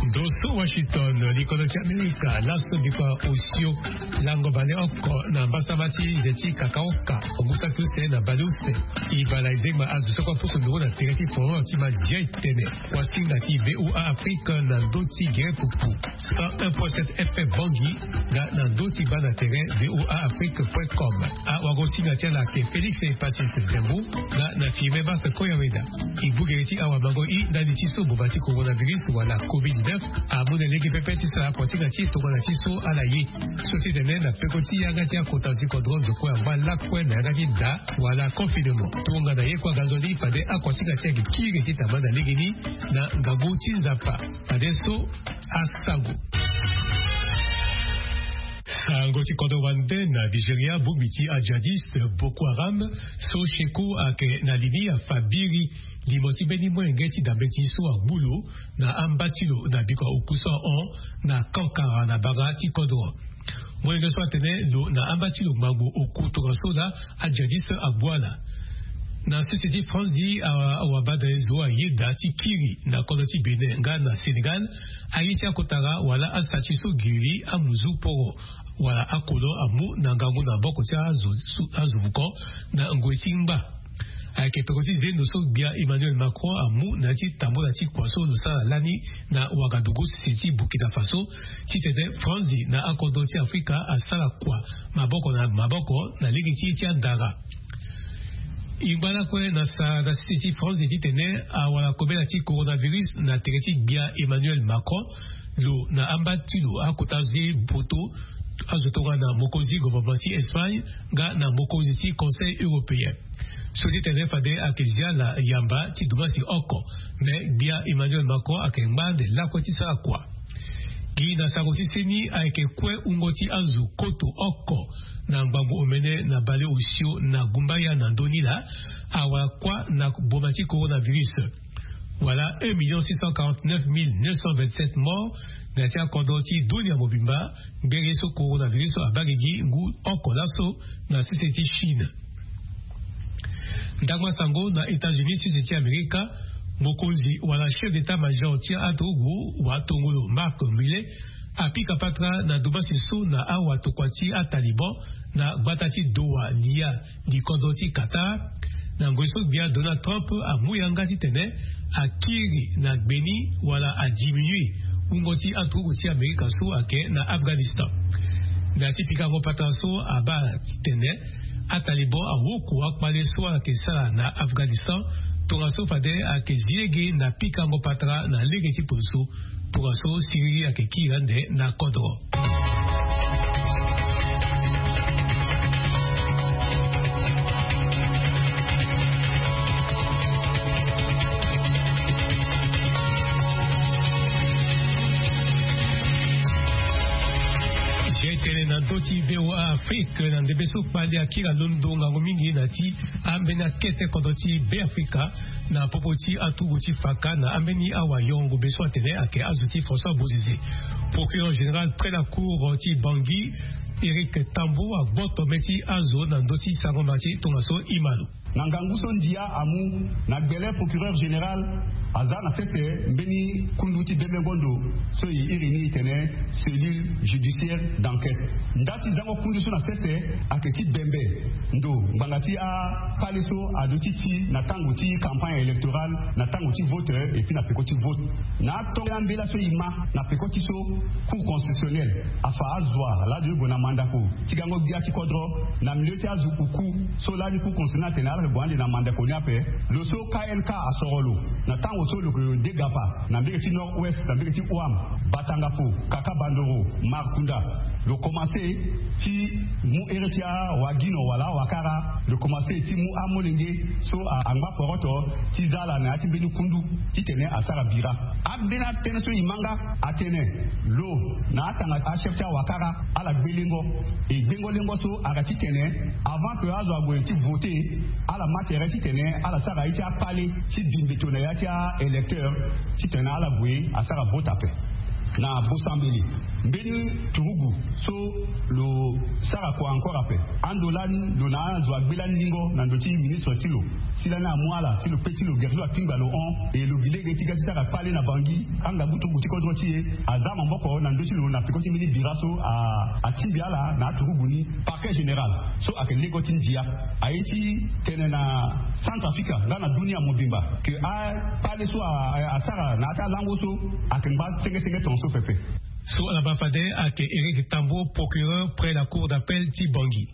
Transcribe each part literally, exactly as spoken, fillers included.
Ndo so Washington, likodro ti Amerika laso bikua osio lango vale oko na mbasama ti nze ti kakaoka, ogusa ti use na baleuse. Ibala ezengba azo so kua poso ndongo na tere ti foro ti mazia etene. Wasinga ti VOA Afrique na ndo ti gere pupu. Cent un point sept F M Bangui, nga na ndo ti baa na tere VOA Afrique point com. Awagosinga ti ala ake Félix Epasis Zembo, nga na Firmin Bas Koyaweda. E bugere ti awamango i ndani ti so boma ti coronavirus wala covid dix-neuf amu na lege pepe ti sara akosinga ti tongana ti so ala ye. So ti tene na peko ti yanga ti akota ti kodro zo kue angba lakue na yanga ti da wala confinement. Tongana ye kue aga nzoni fade akosinga ti ayeke kiri ti tamba na legeni na ngangu ti Nzapa. Fade so asango. Sango ti kodro wande na Nigeria, bongbi ti ajihadiste Boko Haram so Sheku ayeke na li ni afa biri limo ti mbeni molenge ti dambe ti so agbu lo na amba ti lo na bikua oku so ahon na Kankara na bara ti kodro. Molenge so atene lo na amba ti lo ngbangbo oku tongaso laa ajihadiste agbu ala. Na sese ti France di awabadre zo ayeda ti kiri na kodro ti Bénin nga na Sénégal, aye ti akotara wala asati so giri amuzu poro wala akolo amu na ngangu na maboko ti azo, azo vuko na ngoi ti ngba. Ayeke peko ti zendo so gbia Emmanuel Macron amu na ya ti tambola ti kua so lo sara lani na Ouagadougou, sese ti Burkina Faso, titene Franzi na akodro ti Afrika asara kua maboko na maboko na lege ti ye ti andara. E ngba lakue na sara na sese ti Franzi titene awara kobela ti coronavirus na tere ti gbia Emmanuel Macron. Lo na amba ti lo akota azo ti poto, azo tongana mokonzi gouvernement ti Espagne nga na mokonzi ti Conseil européen. So ti tene fade ayeke zia ala yamba ti dumbasi oko. Me gbia Emmanuel Macron ayeke ngba ande lakue ti sara kua. Gi na sango ti seni ayeke kue wungo ti azo koto oko na ngbangbo omene na baleosio na gumbaya na ndö ni laa awara kuâ na boma ti coronavirus. Wala un million six cent quarante-neuf mille neuf cent vingt-sept morts na ya ti akodro ti dunia mobimba. Ngbenge so coronavirus abaa gigi ngu oko laso na sese ti Chine. Ndangba sango na États-Unis, sese ti Amerika, mokonzi wala chef d'état-major ti aturugu watongolo Mark Milley apika patara na dumbasi so na awatokua ti aTaliban na gbata ti Doha, Riyad, likodro ti Qatar. Na ngoi so gbia Donald Trump amu yanga titene akiri na gbeni wala adiminue wungo ti aturugu ti Amerika so ayeke na Afghanistan. Na ya ti pikango patara so abaa titene aTaliban awoko akpale so ayeke sara na Afghanistan, tongaso fade ayeke zi lege na pikango patara na lege ti poso. Tongaso siriri ayeke kiri ande na kodro. Tene na ndö ti VOA Afrique, na ndembe so kpali akiri alondo ngangu mingi na ti ambeni akete kodro ti Beafrika na popo ti aturugu ti faka na ambeni awayongombe so atene ayeke azo ti François Bozizé. Procureur général près la cour ti Bangui, Éric Tambot, agboto mê ti azo na ndö ti sarango ma ti tongaso e ma lo. Na ngangu so ndia amu, na gbele procureur général aza na sese mbeni kundu ti bembengo ndo so e iri ni e tene cellule judiciaire d'enquête. Nda ti zango kundu so na sese ayeke ti bembe ndo ngbanga ti akpale so aduti ti na tango ti campagne électorale, na tango ti vote, et puis na peko ti vote. Na atongo ambela so e ma na peko ti so Cour constitutionnelle afa azo wa laa azo ye gue na mandako ti gango gbia ti kodro na milieu ti azo oku so lani Cour constitutionnelle atene ala yeke gue ande na mandako ni ape. Lo so K N K asoro lo na tango so lo yeke degapa na mbege ti Nord-Ouest, na mbege ti Ouham, Batangafo, Kakabandoro, Markunda. Lo komanse ti mu here ti awagino wala awakara. Lo komanse ti mu amolenge so a- angba poroto ti za ala na ya ti mbeni kundu titene asara bira. Ambeni atënë so e ma nga atene lo na atanga achef ti awakara ala gbe lengo. E gbengo lengo so ayeke titene avant que azo ague ti vote, ala ma tere titene ala sara ye ti akpale ti bi mbeto na ya ti a-électeur titene ala gue asara vote ape. Na bosambeli mbeni turugu so lo sara kua encore ape. Ando lani lo na azo agbe lani lingo na ndo ti ministre ti lo si lani amu ala si lo pe ti lo geri lo apingba lo hon e lo gi lege ti ga ti sara kpale na bangi. Angabu turugu ti kodro ti e aza maboko na ndo ti lo na peko ti mbeni bira so atingbi ala na aturugu ni. Parquet général so ayeke lego ti ndia aye ti tene na Centrafrica nga na dunia mobimba ke akpale so asara na ya ti alango so ayeke ngba senge senge tongaso pepe. So ala baa fade ayeke Eric Tambo, procureur près la cour d'appel ti Bangui.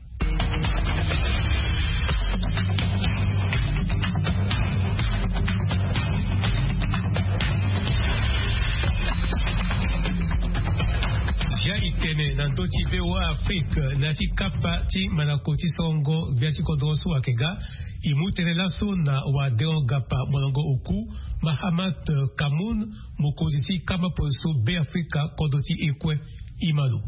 Zia itene na ndö ti V O A Afrique na ya ti kapa ti manako ti sorongo gbia ti kodro so ayeke ga. E mu tënë laso na Wadeon Gapa molongo oku, Mahamat Kamoun, mokonzi ti kama polo so Beafrika kodro ti e kue. Imalo.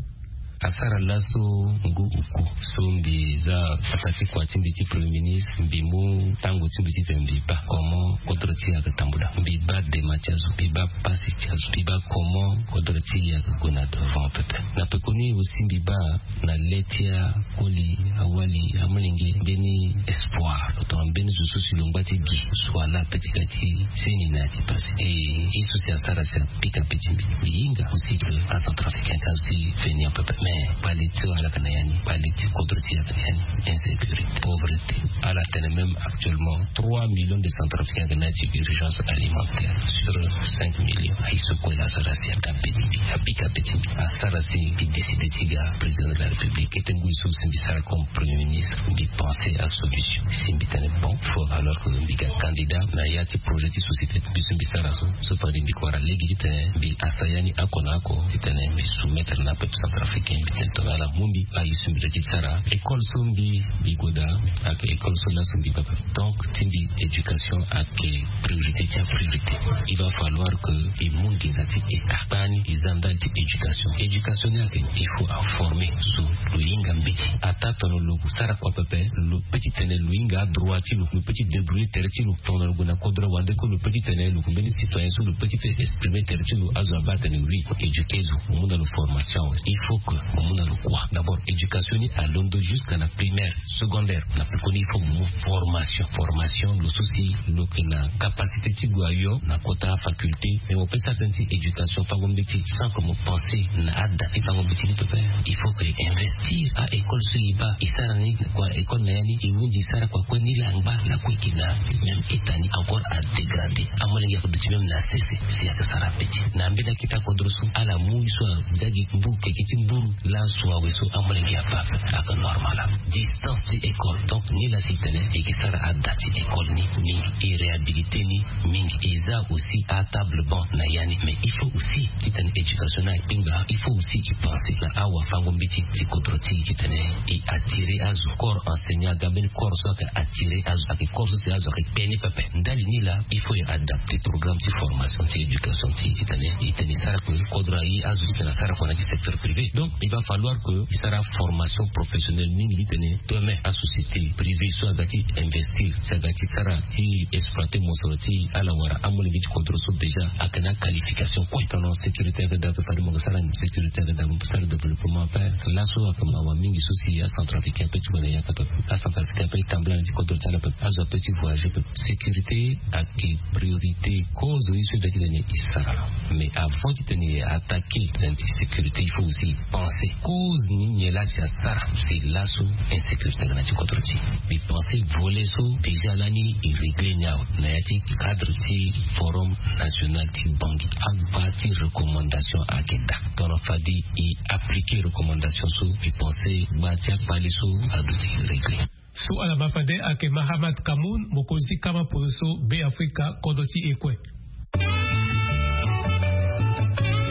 Asara laso ngu oku so mbi za fata ti kua ti mbi ti premier ministre, mbi mu tango ti mbi titene mbi baa comment kodro ti e ayeke tambula. Mbi baa dema ti azo, mbi baa pasi ti azo, mbi baa comment kodro ti e ayeke gue na devant pepe. Na pekoni aussi mbi baa na le ti akoli, awali, amolenge, mbeni espoir tongana mbeni zo so si lo ngba ti gi so ala pe ti ga ti seni na ya ti pasi. E ye so si asara si apika pe ti mbi. Mbi hinga aussi que acentrafricain ka zo ti venir pepe, mais kpale ti ala yeke na ya ni, kpale ti kodro ti e ayeke na ya ni. Insécurité, pauvreté. Ala tene même actuellement trois millions de centrafricains ayeke na ya ti urgence alimentaire sur cinq millions. Aye so kue la asara si apika pe ti mbi, apika pe ti mbi. Asara si mbi décide ti ga président de la République. Kete ngoi so si mbi sara comme premier ministre, mbi pense asolution. Si mbi tene bon, faut alors que mbi ga candidat na ya ti projet ti société ti mbi so mbi sara so. So fade mbi kua lege titene mbi asa ya ni oko na oko titene mbi soumettre na peuple centrafricain. Mbi tene tongana ala mu mbi, aye so mbi doit ti sara. École so mbi, mbi goda ayeke école so laso mbi baa. Donc ti mbi éducation ayeke priorité ti apriorité. Il va falloir que e mu nginza ti e akpani e za ndali ti éducation. Éducation ni ayeke il faut aformer zo lo hinga mbeti. Ataa tongana lo sara kua pepe, lo pe ti tene lo hinga adroit ti lo, lo pe ti débrouiller tere ti lo tongana lo gue na kodro wande kue, lo pe ti tene lo gue mbeni citoyen so lo pe ti exprimer tere ti lo. Azo abaa atene oui, éduquer zo, mo mu na lo formation awe. Il faut que mo mu na lo kua. D'abord éducation ni alondo jusqu'à na primaire, secondaire. Na pekoni il faut mo mu formation. Formation lo so si lo yeke na capacité ti gue ayo na kota faculté. Mais mo pe sara tënë ti éducation fango mbeti sans que mo pense na ada ti fango mbeti ni pepe. Il faut que e investir a école so e baa e sara ni kua école na ya ni, e hunzi e sara kua kue ni la angba lakue e yeke na même état ni encore a dégradé. Amolenge ayeke duti même na sese si ayeke sara mbeti. Na mbeni akita kodro so ala mu ye so azia gi mbu keke ti mburu laso awe so amolenge abaa ape ayeke normal. Distance ti école. Donc ni la si tene e yeke sara ada ti école ni mingi, e réhabilité ni mingi, e za aussi atable banc na ya ni. Mais il faut aussi titene éducation ni akpengba, il faut aussi e pense na awafango mbeti ti kodro ti e titene e attirer azo. Corps enseignant aga mbeni corps so ayeke attirer azo, ayeke corps so si azo ayeke kpe ni pepe. Ndali ni la il faut e adapter programme ti formation ti éducation ti e titene e tene e sara kue kodro aye azo titene asara kue na ya ti secteur privé. Donc il va falloir que e sara formation professionnelle mingi titene demain asociété privée so aga ti investir, si aga ti sara ti exploiter mosoro ti ala wala amolenge ti kodro so déjà ayeke na qualification kue. Tongana sécurité ayeke daa ape, fade mo yeke sara sécurité ayeke daa, mo sara développement ape. Laso ayeke mawa mingi so si acentrafricain ape ti gue na yaka ape. Acentrafricain ape ti tambula na ti kodro ti ala ape. Azo ape ti voyager ape. Sécurité ayeke priorité. Cause ye so e doit titene e sara. Mais avant titene e attaquer tënë ti sécurité, il faut aussi penser cause ni nyen la si asara si laso insécurité aga na ti kodro ti e. Mbi pense volet so déjà lani e régler ni awe na ya ti cadre ti forum national ti Bangui. Agba ti recommandation ayeke daa. Tongana fade e appliquer recommandation so, mbi pense gba ti akpale so aduti régler. So ala baa fade ayeke Mahamat Kamoun, mokonzi ti kama polo so Beafrika kodro ti e kue.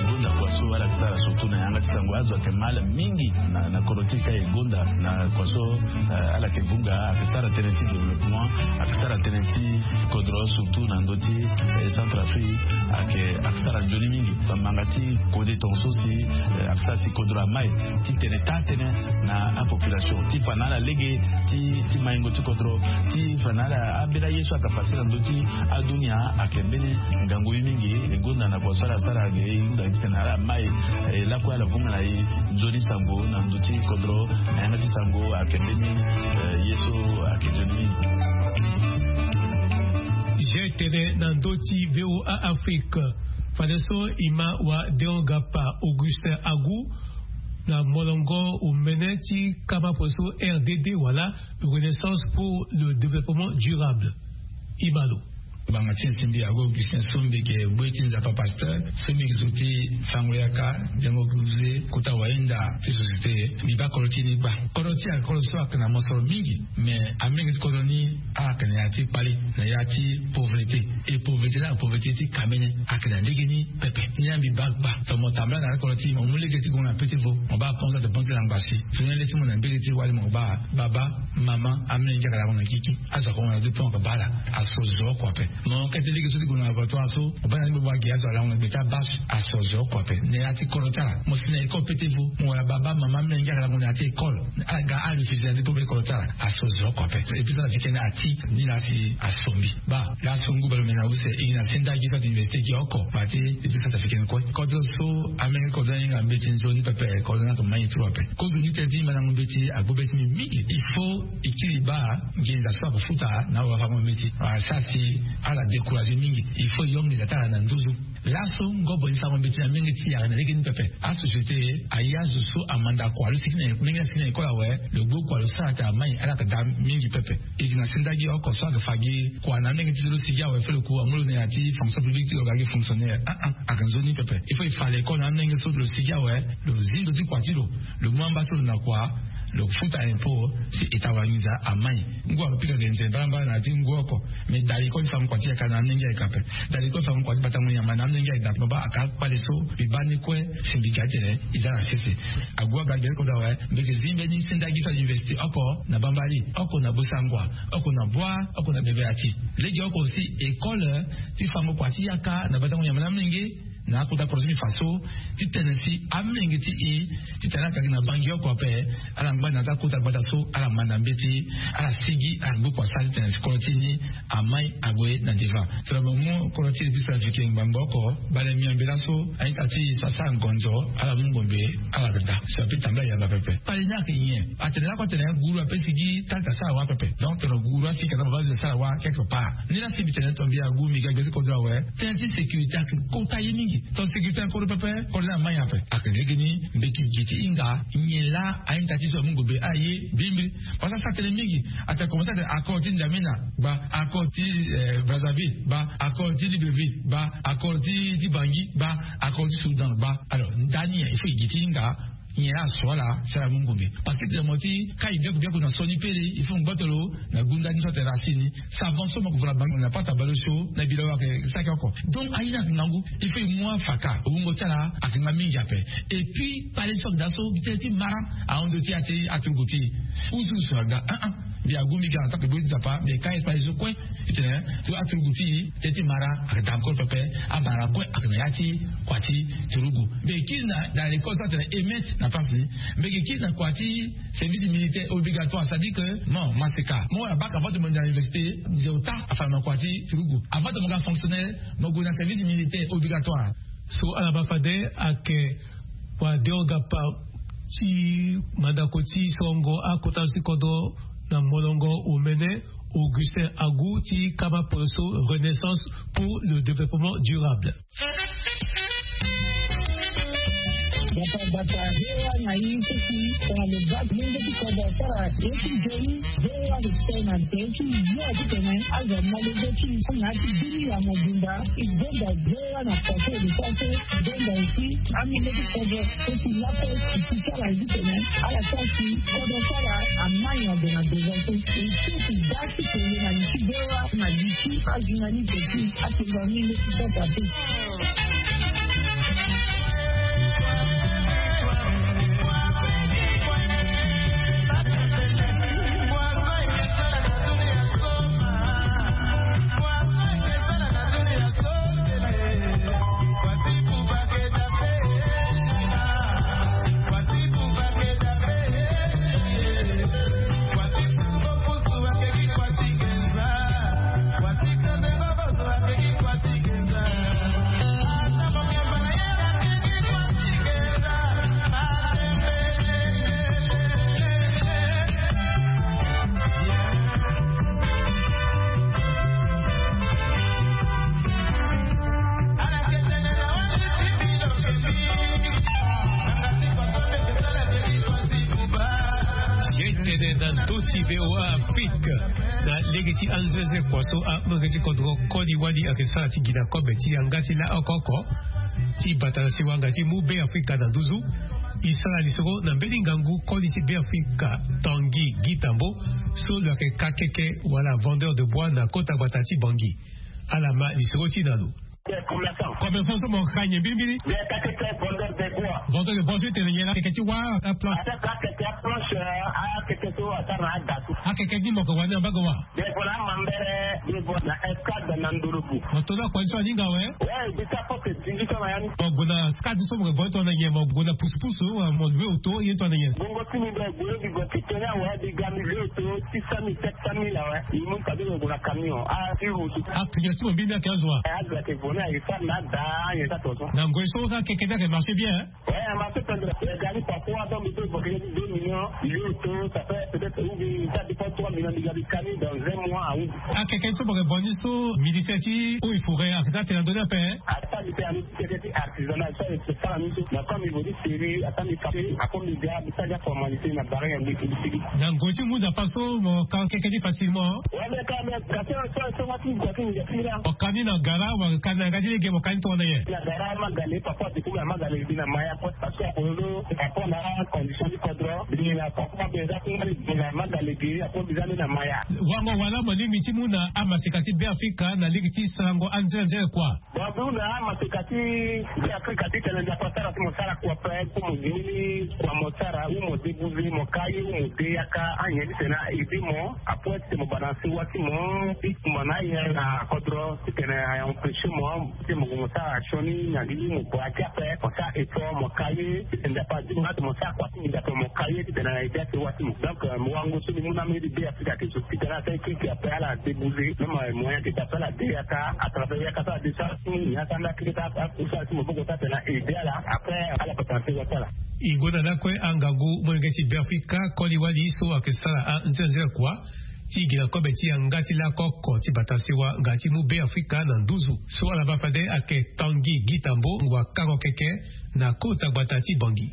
Gonda kua so ala yeke sara surtout na yanga ti sango, azo ayeke mal mingi na, na kodro ti e ka e gonda na kua so, eh, ala yeke vunga, ayeke sara tënë ti développement, ayeke sara tënë ti kodro surtout na ndö ti, eh, Centrafrique ayeke, ayeke sara nzoni mingi. Bamanga ti kode tongaso si ayeke sara si kodro amai ti tene taa-tënë na apopulation ti fa na ala lege ti maingo ti kodro ti fa na ala ambeni aye so ayeke fasi na ndö ti adunia. Ayeke mbeni ngangu ye mingi. E gonda na kua so ala sara ge e hunda ti tene ala mai, e lakue ala vunga na e nzoni sango na ndö ti kodro. Na yanga ti sango ayeke mbeni ye so ayeke nzoni mingi. Ge tene na ndö ti VOA Afrique. Fadeso e ma wa Deogapa Augustin Agu na molongo omene ti kama poso RDD wala Renaissance pour le développement durable. E ma lo. Banga ti nsimbi ago Augustin Sombege, bue ti Nzapa Pasteur, Sombege zo ti fango yaka, dengo kuze, kota wainda ti société, mbi baa kolo ti ni gba. Kolo ti a kolo so ayeke na mosoro mingi, mais amenge ti kolo ni ayeke na ya ti kpali, na ya ti pauvreté. Et pauvreté la, pauvreté ti kamene ayeke na lege ni pepe. Ni ambi baa gba. Tongana mo tambala na ya ti kolo ti mo mu lege ti gongo na pete vo, mo baa konzo ate banki na ngba si. Tongana le ti mo na mbege ti wali mo baa baba, mama, amenge ayeke lango na gigi. Azo akongo na deux points oko baa ala. Aso zo oko ape. Mo kete lege so ti gue na laboratoire so, mo baa na ni gbogbo agi azo alango na gbe ti abas. Aso zo oko ape. Na ya ti kolo ti ala, mo si na école pete vo, mo wara baba, mama, amenge ayeke lango na ya ti école. Ala ga arefuser na ti kolo ti ala. Aso zo oko ape. Epui so ala fi kene ati ni la si asombi. Baa laso ngu bale omene na use e gi na sendagi so ate université gi oko. Baa ti epui so ate fi kene kue. Kodro so amenge kodro ahinga mbeti nzoni pepe, kodro ni ayeke mai tro ape. Kozo ni tene ti mandango mbeti agbu be ti mbi mingi. Il faut e kiri baa nginza so akofuta na awafango mbeti. Asara si ala décourager mingi. Il faut e yo nginza ti ala na nduzu. Laso ngobo e fango mbeti na menge ti yara na lege ni pepe. Asociété aye azo so amanda kua lo sigi na menge asigi na école awe. Lo gbu kua lo sara ate amai ala yeke daa mingi pepe. E gi na sendagi oko so ayeke fa gi kua na amenge ti lo sigi awe fo lo ku amu lo na ya ti fonction publique ti lo ga gi fonctionnaire. Ah ah, ayeke nzoni pepe. Il faut e fa l'école na amenge so lo sigi awe. Lo zi ndo ti kua ti lo. Lo mu amba ti lo na kua. Lo futa impôt si état wara nginza amai. Ngu ayeke pika ge nze mbalambala na ya ti ngu oko. Mais da l'école ti fango kua ti yaka na amenge ayeke ape. Da l'école ti fango kua ti batango nyama na amenge ayeke daa. Mo baa ayeke akpale so mbi baa ni kue. Si mbi ga ti tene e za na sese. Agu aga gbele kodro awe. Mbi yeke zi mbeni sendagi so université oko na Bambari, oko na Bossangoa, oko na Bouar, oko na Bebe-Atty. Lege oko si école ti fango kua ti yaka na batango nyama na amenge. Na akota koro ti mbi fa so ti tene si amenge ti e ti tene ala yeke gi na bangi oko ape. Ala ngba na ya ti akota gbata so ala manda mbeti, ala sigi, ala gbu kua sara ti tene si kolo ti ni amai ague na devant. Tongana mo mu kolo ti e biso na fike ngbangbo oko, bale miambe laso a-ita ti e so asara ngonzo, ala mu ngombe, ala yeke daa. So ape tambula yamba pepe. Kpale ni ayeke nyen? Atene lakue atene guru ape sigi, tata asara wâ pepe. Donc tongana guru asigi, ka na mo baa zo asara wâ quelque part. Ni la si mbi tene tongana mbi agu mbi ga gbia ti kodro awe. Tënë ti sécurité ayeke kota ye mingi. Tongana sécurité ayeke kodro pepe, kodro ni amai ape. Ayeke lege ni mbeti gi ti hinga nyen laa a-ita ti so amu ngombe, aye, bimbiri. Parce que asara tënë mingi. Atene komanse atene accord ti N'Djamena, gba. Accord ti, eh, Brazzaville, gba. Accord ti Libreville, gba. Accord ti, ti Bangui, gba. Accord ti Soudan, gba. Alors ndani il faut e gi ti hinga nyen laa aso ala si ala mu ngombe. Parce que tene mo ti kai biaku biaku na sioni pele, il faut ngboto lo na gunda ni so atene racine ni. Savon so mo yeke vo na bangi na pata baleosio na bilo ayeke saki oko. Donc aye ni ayeke ngangu. Il faut e mu afaka, wungo ti ala ayeke nga mingi ape. Et puis kpale so ayeke daa so gi tënë ti mara ahon ndo ti ya ti aturugu ti e. Usu usu aga. Ah ah. Mbi agu mbi ga na ta kebe ti Nzapa, mbi kai kpale so kue. Ti tene so aturugu ti e, tënë ti mara ayeke daa encore pepe. Amara kue ayeke na ya ti kua ti turugu. Mbi kiri na, na l'école so atene E M E T na France ni. Mbi yeke kiri na kua ti service militaire obligatoire, c'est-à-dire que mo maseka, mo wara bac avant de mo na université, nze ota afa na kua ti turugu. Avant de mo ga fonctionnaire, mo gue na service militaire obligatoire. So ala baa fade ayeke wa Deogapa ti mandako ti sorongo akota ti kodro na molongo omene, Augustin Agu ti kama poso Renaissance pour le développement durable. Bata bata, V O A na ye ti si tongana lo baa menge ti kodro asara ye ti nzoni, V O A lo tene na nze ti yo ti tene azo amu lege ti e na ya ti bini ya mobimba. E gonda V O A na faso de faso, e gonda aussi amenge ti kodro so si lape e si ti ala ye ti tene ala sara si kodro ti ala amai na gue na devant so. E so si da ti tene na li ti V O A na li ti ajournaliste ti atengo amenge ti kodro ape. Ti VOA Afrique, na lege ti anzenze kua so amolenge ti kodro koli wali ayeke sara ti gi na kobe ti yanga ti laoko oko ti bata na siwa nga ti mu Be Afrika na nduzu. E sara lisoro na mbeni ngangu koli ti Be Afrika, Tanguy Guy Tambo, so lo yeke kakeke wala vendeur de bois na kota gbata ti Bangui. Ala ma lisoro ti na lo. Commerçant so mo ka nyen mbirimbiri? Vendeur de bois so e tene nyen la? Akeke ti wâ, aplanche? Akeke aplanche, akeke so asara na ada so. Akeke ni mo yeke wani na mbage wâ? Be voilà, mambere, be voilà, na escadre na Ndolobu. Mo to na kua ni so aninga awe? Ouais, bisa poste dix-huit ans na ya ni. Mo gue na escadre so mo yeke vo ni tongana nyen? Mo gue na pusu pusu, mo loue auto, ye tongana nyen? Bongo ti mi be gue, bi gue ti tene awe, bi ga mi loue auto, six cent mille, sept cent mille awe. Mi mu ka be gue na camion. Ah, ti route. Ah, camion ti mo mbeni ayeke azo wa? Eh, azo ayeke vo ni, ayeke sara na ada, ayen sara tongaso. Na ngoi so akeke ni ayeke marché bien, hein? Ouais, a marché pendere. Eh, gari parfois, donc, il faut évoquer deux millions, il est auto, ça fait peut-être, ou bien, ça dépend, trois millions de gari camion dans un mois, ah oui. Akeke so mo yeke vo ni so, ministère ti eaux et forêts ayeke za tene na ndö ni ape, hein? Ata ministère ti artisanat, so ayeke sara ni so. Mais comme il veut dire sérieux, ata mi frappé, après mi ga, mi sara formalité na barre ya mbeti mbeti. Na ngoi ti mu Nzapa so mo ka akeke ni facilement? Ouais, mais quand même, parce que so, so, so, so, so, so, so, so, mo ka ni na gara, mo ka ni na yanga ti lege, mo ka ni tongana nyen? Na gara, Magale, parfois, du coup, na Magale, bi na Maya, quoi, parce que, apolo, parfois, na condition ti kodro, bi na, parfois, be za, bi na Magale, bi, après, bi za, bi na Maya. Wango wala mo lingbi ti mu na amaseka ti Be Afrika na lege ti sarango anzenze kua? Bon, bi na amaseka ti Be Afrika ti tene Nzapa asara si mo sara kua pe, pour mo gini ni kua mo sara, ou mo débouser, mo ka ye, ou mo de yaka, anyen ti tene a aider mo, après, ti tene mo bana sewa ti mo, ti kumba na aye na kodro, ti tene a empêcher mo, ti mo, mo sara sioni na li ti mo, bua ti ape, mo sara effort, mo ka ye, ti tene Nzapa azi mo, mo sara kua ti mo, Nzapa mo ka ye, ti tene a aider asewa ti mo. Donc, euh, mo wango so ni mu na mbeni Be Afrika ti so, ti tene asara keke ape ala débouser, même, euh, moyen ti tene ala de yaka, à travers yaka so ala de sara ti mo, ni asara nda keke ti ala, ala kusala ti maboko ti ala tene a aider ala, après, ala patara sewa ti ala. E gonda lakue angangu molenge ti Be Afrika, koli wali so ayeke sara anzenze kua ti gi na kobe ti yanga ti laoko oko ti bata sewa nga ti mu Be Afrika na nduzu. So ala baa fade ayeke Tanguy Guy Tambo, wakango keke na kota gbata ti Bangui.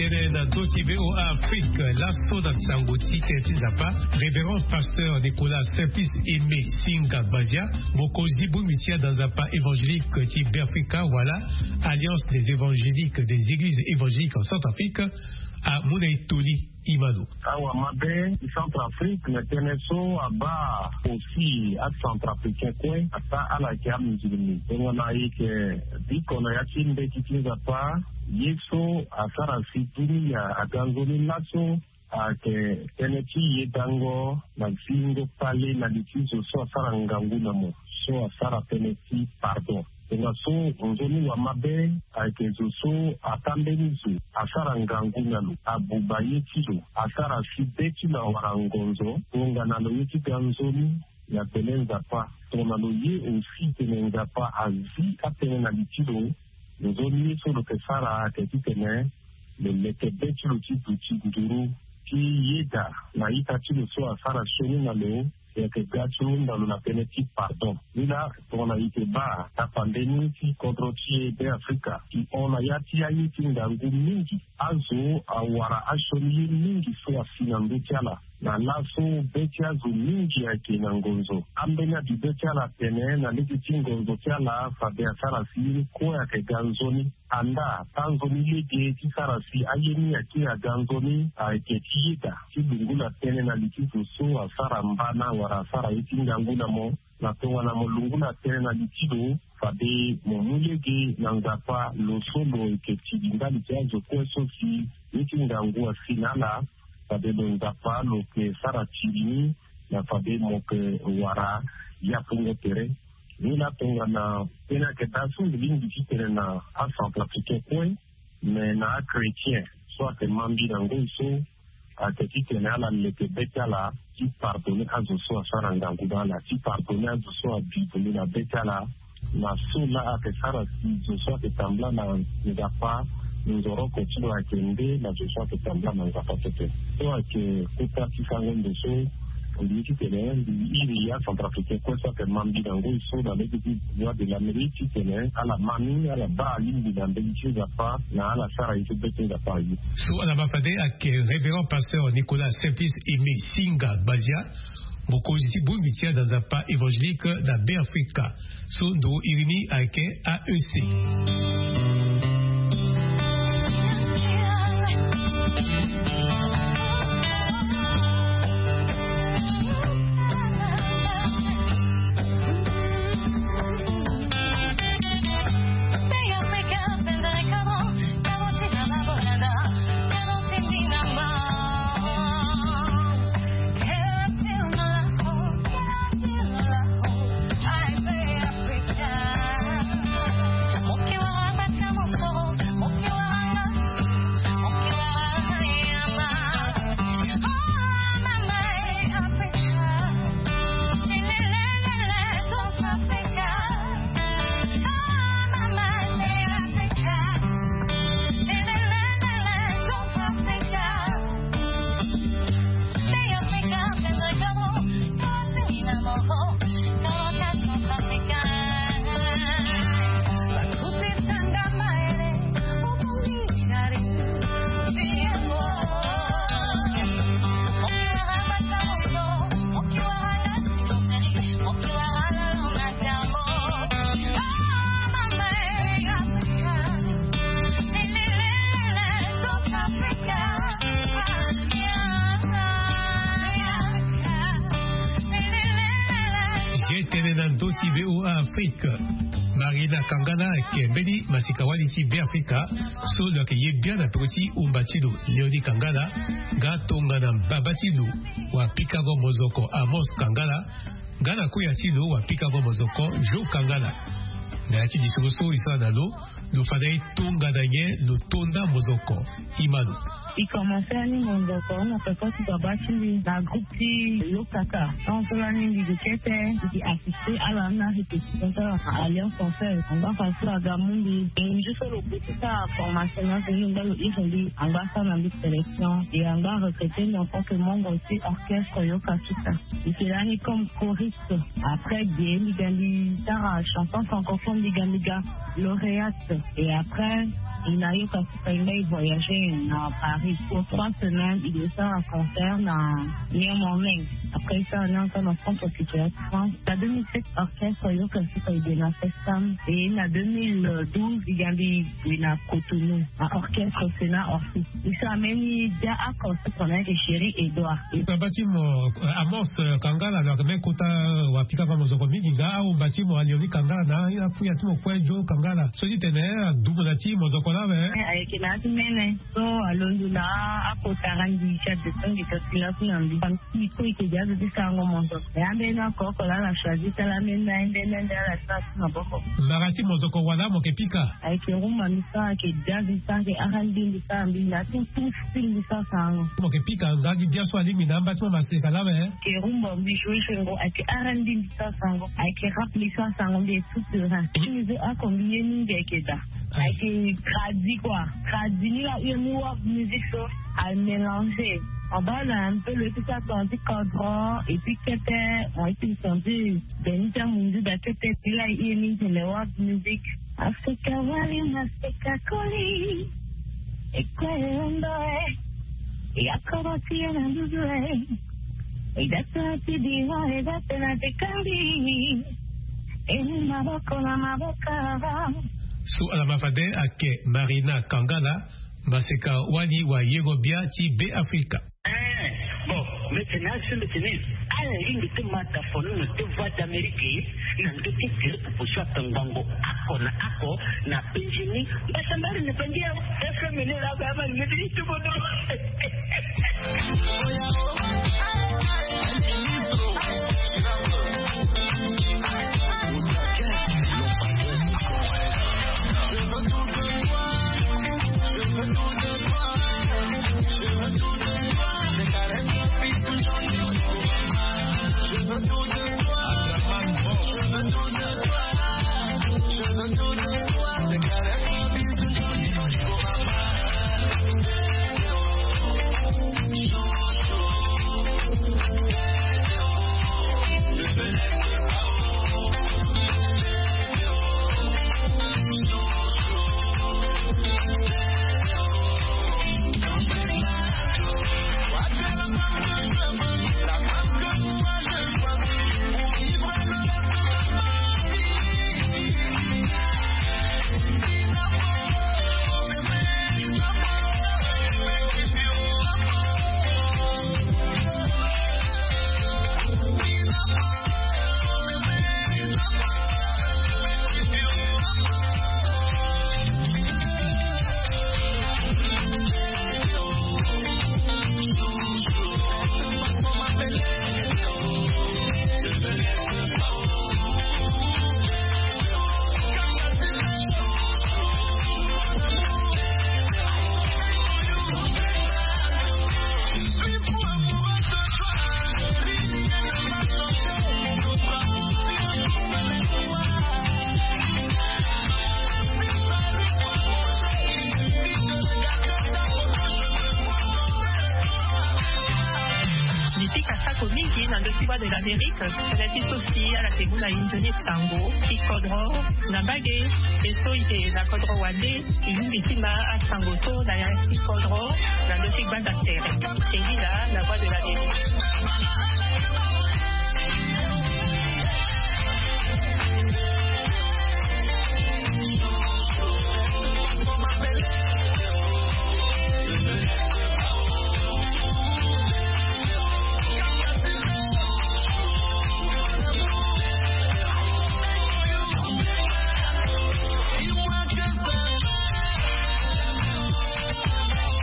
Tene na ndö ti VOA Afrique, laso na sango ti tene ti Nzapa, révérend pasteur Nicolas Simplice Aimé Singa Bazia, mokonzi bongbi ti ada Nzapa évangélique ti Beafrika wala Alliance des évangéliques des églises évangéliques en Centrafrique, amu na e toli. Imano. Awa mabe ti Centrafrique na tënë so abaa aussi aCentrafricain kue, ataa ala yeke amusulmi. Tongana e yeke biko na ya ti mbeti ti Nzapa, ye so asara si dunia aga nzoni laso ayeke tënë ti yedango na zingo kpale na li ti zo so asara ngangu na mo, so asara tënë ti pardon. Tongaso nzoni wa mabe ayeke zo so ataa mbeni zo asara ngangu na lo, abuba ye ti lo, asara si be ti lo awara ngonzo, tongana lo ye ti ga nzoni na pele Nzapa. Tongana lo ye aussi tene Nzapa azi atënë na li ti lo, nzoni ye so lo yeke sara ayeke titene lo leke be ti lo ti duti nduru ti yeda na ita ti lo so asara sioni na lo, e yeke ga ti hunda lo na tënë ti pardon. Ni laa tongana e yeke baa tapambeni ti kodro ti e Beafrika, e hon na ya ti aye ti ngangu mingi. Azo awara asioni ye mingi so asi na ndö ti ala. Na laso be ti azo mingi ayeke na ngonzo. Ambeni abi be ti ala atene na lege ti ngonzo ti ala fade asara si ye ni kue ayeke ga nzoni. Andaa, tanzoni lege ti sara si aye ni ayeke aga nzoni ayeke ti yeda ti lungula tënë na li ti zo so asara mbana wala asara ye ti ngangu na mo. Na tongana mo lungula tënë na li ti lo, fade mo mu lege na Nzapa lo so lo yeke tigi ndali ti azo kue so si ye ti ngangu asi na ala, fade lo Nzapa lo yeke sara tiri ni, na fade mo yeke wara yapungo tere. Ni laa tongana tënë ayeke daa so mbi lingbi ti tene na aCentrafricain kue, me na achrétien so ayeke ma mbi na ngoi so, ayeke titene ala leke be ti ala ti pardonner azo so asara ngangu na ala, ti pardonner azo so abi vundu na be ti ala, na so laa ayeke sara si zo so ayeke tambula na Nzapa Nzoroko ti lo ayeke nde na zo so ayeke tambula na Nzapa pepe. So ayeke kota ti sango ndo so mbi ye titene mbi iri ya Centrafricain kue so ayeke ma mbi na ngoi so na lege ti Voix de l'Amérique titene ala ma ni ala baa alingbi na mbeni ti Nzapa na ala sara ye so be ti Nzapa aye. So ala ma fade ayeke Révérend Pasteur Nicolas Simplice Aimé Singa Gbazia, mokonzi ti bongbi ti azo na Nzapa évangélique na Beafrika. So ndo iri ni ayeke A E C. Ge tene na ndö ti V O A Afrique. Marina Kangala ayeke mbeni masika-wali ti Beafrika so lo yeke ye bian na peko ti umba ti lo Léonie Kangala, nga tongana mbaba ti lo wapikango mozoko Amos Kangala, nga na kuya ti lo wapikango mozoko Jo Kangala. Na ya ti lisoro so e sara na lo, lo fa na e tongana nyen lo to nda mozoko? Imano. E komanse ani mozoko na peko ti baba ti mbi na groupe ti Lokaka. Tant so lani mbi gi kete, mbi gi assisté ala na répétition ti ala na Alliance Française. Angba fa so aga mu mbi, mbi so lo pe ti sara formation na so ni ngba lo iri mbi angba sara na mbi sélection. E angba recruté mbi en tant que membre ti orchestre Yoka Kita. Mbi yeke lani comme choriste. Après ge mbi ga mbi sara chanson francophone, mbi ga mbi ga lauréate. Et après, e na Yoka Kita e mbi voyagé na Paris pour trois semaines. E sara concert na New Morning. Après e sara ni ensemble na Centre Culturel France. Na deux mille sept, orchestre Yoka Kita e gue na Festam. Et na deux mille douze e ga mbi gue na Cotonou na orchestre Sénat Orsi. E sara mbeni dia oko so tongana ayeke Chéri Edouard. Baba ti mo, eh, Amos, eh, Kangala, lo yeke me kota, eh, wapikango mozoko mingi, nga ahumba ti mo Léonie Kangala na akuya ti mo kue Jo Kangala, so ti tene, eh, adumu na ti mozoko lawe. Eh, ayeke na ya ti mene so alondo na akota randi ti adetongi kasi laso na mbi. Ti kue e ke dia zo ti sarango mozoko. E ambeni oko oko laa ala choisi ti ala ambeni na ambeni na ala ti na ti maboko. Mara ti mozoko wala mo yeke pika? Ayeke rumba mbi sara, ayeke jazz mbi sara, ayeke R and B mbi sara, mbi na tout, tout style mbi sara sarango. Mo yeke pika nga gi bia so alingbi na amba ti mo maseka lawe? Ayeke rumba mbi joue joue ngo, ayeke R and B mbi sara sarango, ayeke rap mbi sara sarango, mbi est tout terrain. Ti mbi zo oko mbi ye mingi ayeke daa. Ayeke tradi quoi. Tradi ni la ue ni world music so a mélanger. En bas là un peu le tout ça senti codron et puis kete on été senti ben ni ti amunzu da kete ti la ue ni ti le world music. Africa wali maseka koli. Ekwe ndo e. Ya koro ti ye na nduzu e. E da to ti di ho e da te na te kambi. E ni maboko na maboko. So ala ma fade ayeke Marina Kangala, maseka wali wayengo bia ti Beafrika. Eh, bon, mbi tene azo mbi tene ala lingbi ti ma dafono na deux Voix d'Amérique na ndö ti gere popo so atongbango oko na oko na penzi ni. Mbasambari na penzi ya F M ni la ba ma ni ti tubono. Ti Voix de l'Amérique, ala ti so si ala ke mu na e nzoni sango ti kodro na mbage. E so e ke na kodro wande, e lingbi ti ma asango so na ya ti kodro na ndö ti gbanda tere. E lila na Voix de l'Amérique.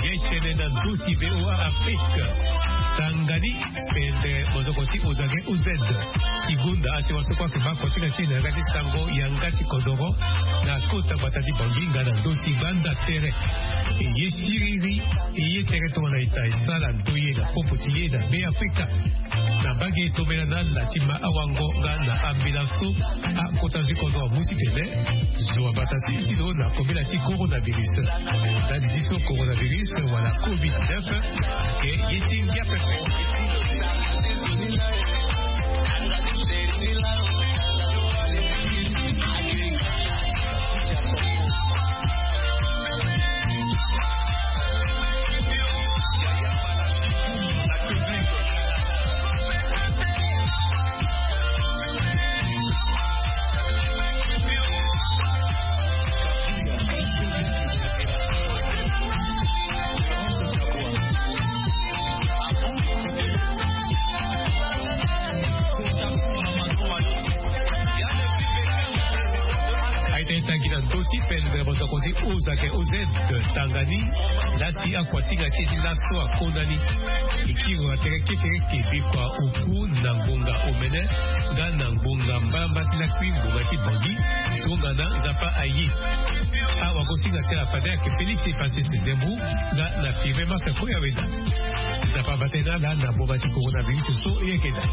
Ye tene na ndö ti V O A Afrique. Tanga ni. Pende mozoko ti Ozage O Z. Ti gonda asi waso kue afe baa kosinga ti e na yanga ti sango yanga ti kodoro na kota gbata ti Bangui nga na ndö ti gbanda tere. E ye siriri, e ye tere tongana ita e sara ndoye na popo ti e na Be Afrika. Na mbage e tombela na ala ti ma awango nga na ambila so akota zo ti kodro amu titene zo abata si ti lo na kobela ti coronavirus. Ndali ti so coronavirus wala covid dix-neuf ayeke ye ti ngia pepe. Aita e tangi na ndö ti pende mosoko ti Ozake O Z. Tanga ni. Lasi akuasinga ti e ti laso akona ni. E kiri na tere kekereke bikua oku na ngbonga omene nga na ngbonga mbalambala ti lakui ngbonga ti Bangui. Tongana Nzapa aye. Awagosinga ti ala fade ayeke Félix Epasis Ndembu nga na Firmin Marc Koyaweda. Nzapa abata e na ala na ngbonga ti coronavirus so e yeke daa.